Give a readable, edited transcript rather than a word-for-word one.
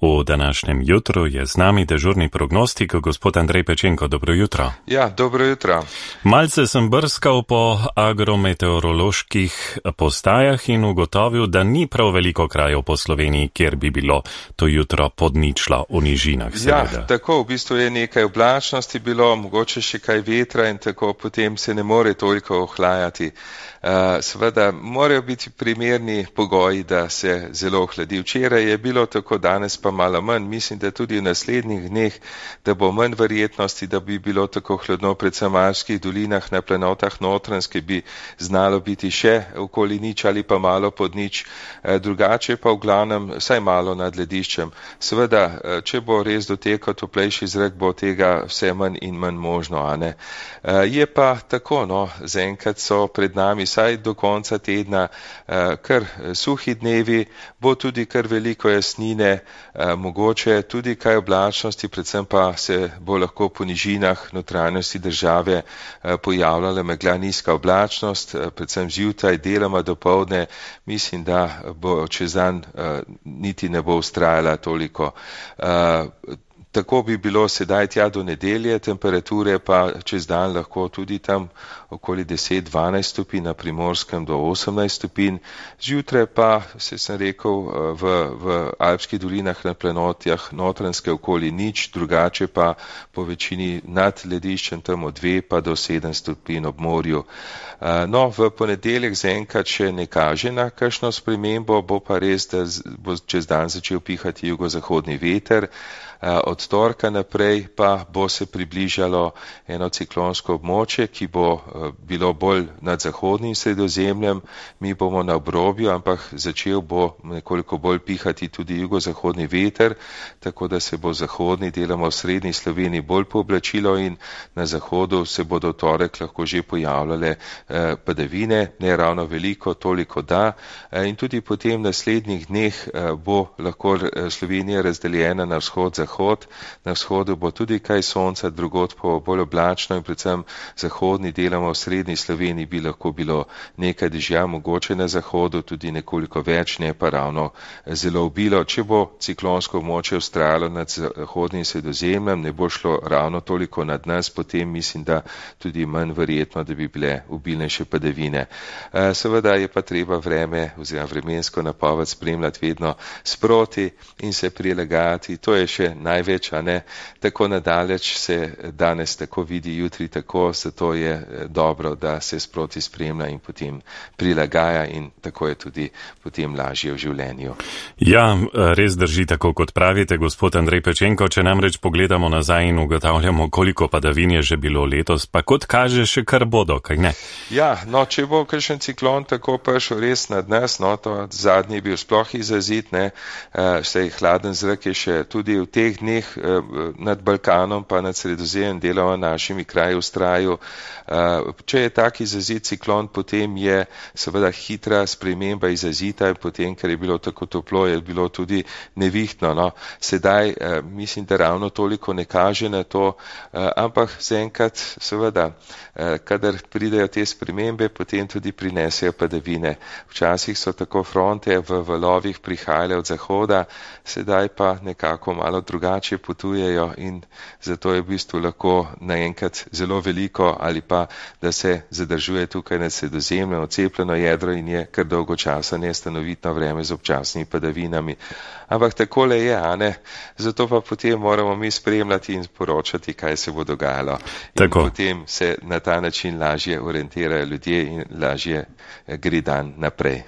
V današnjem jutru je z nami dežurni prognostik gospod Andrej Pečenko. Dobro jutro. Ja, dobro jutro. Malce sem brskal po agrometeoroloških postajah in ugotovil, da ni prav veliko krajev po Sloveniji, kjer bi bilo to jutro pod ničlo v nižinah. Ja, tako, v bistvu je nekaj oblačnosti bilo, mogoče še kaj vetra in tako potem se ne more toliko ohlajati. Seveda morajo biti primerni pogoji, da se zelo ohladi. Včeraj je bilo tako, danes pa malo manj. Mislim, da tudi v naslednjih dneh, da bo manj verjetnosti, da bi bilo tako hladno, predvsem v alpskih dolinah, na planotah Notranjske bi znalo biti še okoli nič ali pa malo pod nič, drugače pa v glavnem vsaj malo nad lediščem. Seveda, če bo res dotekal toplejši zrak, bo tega vse manj in manj možno, a ne. Je pa tako, no, zaenkrat so pred nami vsaj do konca tedna kar suhi dnevi, bo tudi kar veliko jasnine, mogoče tudi kaj oblačnosti, predvsem pa se bo lahko po nižinah notranjosti države pojavljala megla, nizka oblačnost, predvsem zjutraj, deloma dopoldne, mislim, da bo čez dan niti ne bo vztrajala toliko. Tako bi bilo sedaj tja do nedelje, temperature pa čez dan lahko tudi tam okoli 10-12 stopinj, na Primorskem do 18 stopinj. Zjutraj pa, sem rekel, v alpskih dolinah na planotjah Notranjske okoli nič, drugače pa po večini nad lediščem tam od 2 pa do 7 stopinj ob morju. No, v ponedeljek zaenkrat še ne kaže na kakšno spremembo, bo pa res, da bo čez dan začel pihati jugozahodni veter. Od torka naprej pa bo se približalo eno ciklonsko območje, ki bo bilo bolj nad zahodnim Sredozemljem, mi bomo na obrobju, ampak začel bo nekoliko bolj pihati tudi jugozahodni veter, tako da se bo zahodni, deloma v srednji Sloveniji bolj pooblačilo in na zahodu se bodo torek lahko že pojavljale padavine, ne ravno veliko, toliko da, in tudi potem v naslednjih dneh bo lahko Slovenija razdeljena na vzhod-zahod. Na vzhodu bo tudi kaj sonca, drugod pa bolj oblačno in predvsem zahodni, deloma v srednji Sloveniji bi lahko bilo nekaj dežja, mogoče na zahodu tudi nekoliko več, ne pa ravno zelo obilo. Če bo ciklonsko območje vztrajalo nad zahodnim Sredozemljem, ne bo šlo ravno toliko nad nas, potem mislim, da tudi manj verjetno, da bi bile obilnejše padavine. Seveda je pa treba vreme oziroma vremensko napoved spremljati vedno sproti in se prilagajati. To je še največ, a ne, tako nadaleč se danes tako vidi, jutri tako, zato je dobro, da se sproti spremlja in potem prilagaja in tako je tudi potem lažje v življenju. Ja, res drži tako, kot pravite, gospod Andrej Pečenko, če namreč pogledamo nazaj in ugotavljamo, koliko padavin je že bilo letos, pa kot kaže še kar bodo, kaj ne? Ja, no, če bo kakšen ciklon tako prišel res nad nas, no, to zadnji bil sploh izrazit, ne, saj hladen zrak je še tudi v teh dneh nad Balkanom pa nad Sredozemljem, deloma našimi kraji vztrajal. Če je tak izrazit ciklon, potem je seveda hitra sprememba izrazita in potem, ker je bilo tako toplo, je bilo tudi nevihtno. No. Sedaj mislim, da ravno toliko ne kaže na to, ampak zaenkrat seveda, kadar pridejo te spremembe, potem tudi prinesejo padavine. Včasih so tako fronte v valovih prihajale od zahoda, sedaj pa nekako malo drugače potujejo in zato je v bistvu lahko naenkrat zelo veliko ali pa, da se zadržuje tukaj nad Sredozemljem odcepljeno jedro in je kar dolgo časa nestanovitno vreme z občasnimi padavinami. Ampak takole je, a ne? Zato pa potem moramo mi spremljati in poročati, kaj se bo dogajalo. In potem se na ta način lažje orientirajo ljudje in lažje gre dan naprej.